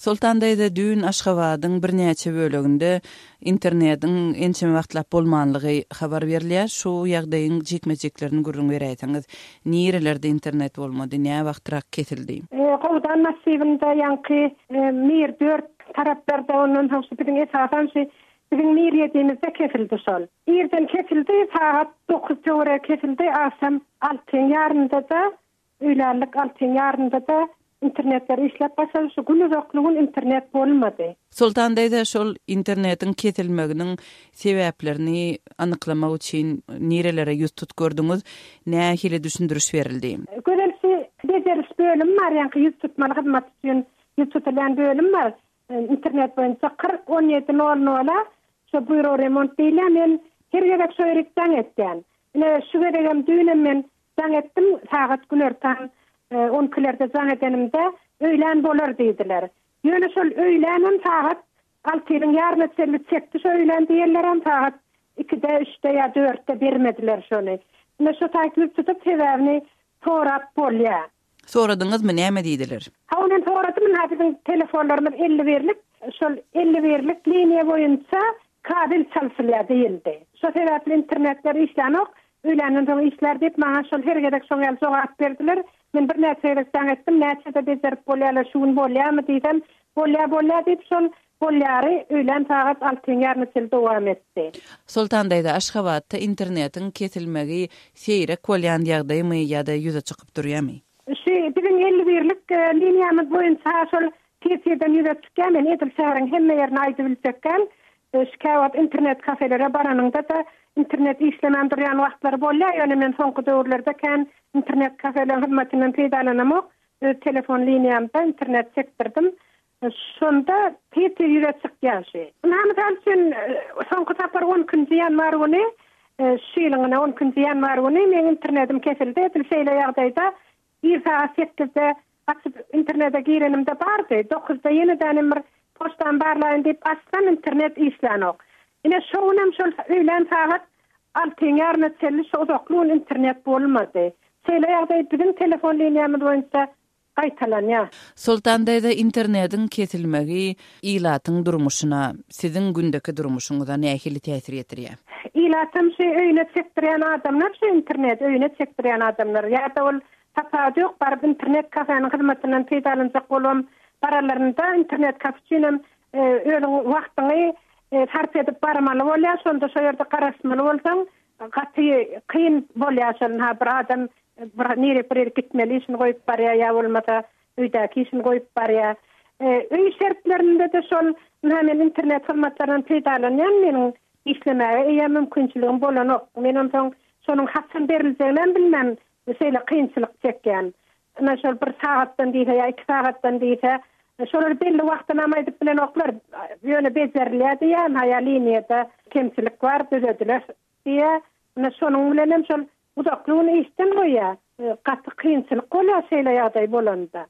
Soltan daýza düýn Aşgabadyň birnäçe böleginde internetiň ençeme wagtlap bolmanlygy habar berilýär. Şu ýagdaýyň jikme-jiklerini gürrüň beräýseňiz. Nirelerde internet bolmady, näwagtrak kesildi? Gowdan massiwinde ýaňky Mir dört taraplarda ondan soň şu biziň esasan şu biziň Mir ýedimizde kesildi şol. Irden kesildi, sagat dokuz töweregi kesildi, agşam altyň ýarynda-da Öýlänlik altyň ýarynda-da internetler işläp başlady. Şu gün uzakly gün internet bolmady. Soltan daýza şol internetiň kesilmeginiň sebäplerini anyklamak üçin nirelere ýüz tut gördüňiz? Nähili düşündiriş berildi? Gözel şu bejeriş bölümi bar ýaňky ýüz tutmaly hyzmat üçin ýüz tutulýan bölüm bar. Internet boýunça 40 17 nol nola şo býuro remont diýilýär. Men her gezek şo ýerik jaň etýän. Ine şu gezegem düýnem men Jaň etdim, sagat günortan on ikilerde jaň edenimde, öýlän bolar diýdiler. Ýöne şol öýlänem sagat altynyň ýaryna çenli çekdi şo öýlän diýenlerem sagat ikide, üçde ýa dörtde bermediler şony. Ine şo taýt ýüz tutup sebäbini sorap bolýa. Soradyňyzmy, näme diýdiler? Hawa men soradym, ynha biziň telefonlarymyz 50 birlik, şol 50 birlik liniýa boýunça kabel çalşylýar diýildi. Şo sebäpli internetler işlänok, öýländen soň işlär diýip maňa şol her gezek şoň ýaly jogap berdiler. Men birnäçe gezek jaň etdim, näçede bejerip bolýarlar, şu gün bolýarmy diýsem, bolýar bolýar diýip şol bolýary öýlän sagat altyň ýaryna çenli dowam etdi. Soltan daýza, Aşgabatda internetiň kesilmegi seýrek bolýan ýagdaýmy ýa-da ýüze çykyp durýamy? Şu biziň 50 birlik liniýamyz boýunça şol tiz-tizden ýüze çykýar. Men edil şäheriň hemme ýerini aýdybiljek däl. Şu käwagt internet kafelere baranyňda-da internet işlemän durýan wagtlary bolýar. Ýöne men soňky döwürlerde kän internet kafeleriň hyzmatyndan peýdalanamok. Öz telefon liniýamda internet çekdirdim. Şonda tiz-tiz ýüze çykýar şu. Ynha, mysal üçin, soňky sapar on ikinji ýanwar güni, şu ýylyň ine on ikinji ýanwar güni meň internetim kesildi. Edil şeýle ýagdaýda ir sagat sekizde açyp internete girenimde bardy. Dokuzda ýene-dänem bir poçtamy barlaýyn diýip açsam internet işlänok. Ine şo günem şol öýlän sagat altyň ýaryna çenli şo uzakly gün internet bolmady. Şeýle ýagdaý biziň telefon liniýamyz boýunça gaýtalanýar. Soltan daýza internediň kesilmegi ilatyň durmuşyna, siziň gündeki durmuşyňyza nähili täsir ýetirýär? Ilatam şu öýüne çekdirýän adamlar şu internedi öýüne çekdirýän adamlar ýa-da ol tapawudy ýok baryp internet kafeniň hyzmatyndan peýdalanjak bolubam baranlarynda internet kafe üçinem özüň wagtyňy sarp edip barmaly bolýar şonda şo ýerde garaşmaly bolsaň gaty kyn bolýar şol ynha bir adam bir nirek bir ýere gitmeli işini goýup barýar ýa bolmasa öýdäki işini goýup barýar. Öý şertlerinde-de şol ynha men internet hyzmatlaryndan peýdalanýan meniň işlemäge eýýäm mümkinçiligim bolanok. Men onsoň şonuň haçan beriljeginem bilmän şeýle kynçylyk çekýän. Ynha şol bir sagatdan diýse ýa iki sagatdan diýse şolar belli wagtynam aýdyp bilenoklar. Ýöne bejerilýär diýýär ynha ýa liniýada kemçilik bar düzediler diýýär. Ynha şonuň bilenem şol Uzakly gün işden goýýar. Gaty kynçylyk bolýar şeýle ýagdaý bolanda.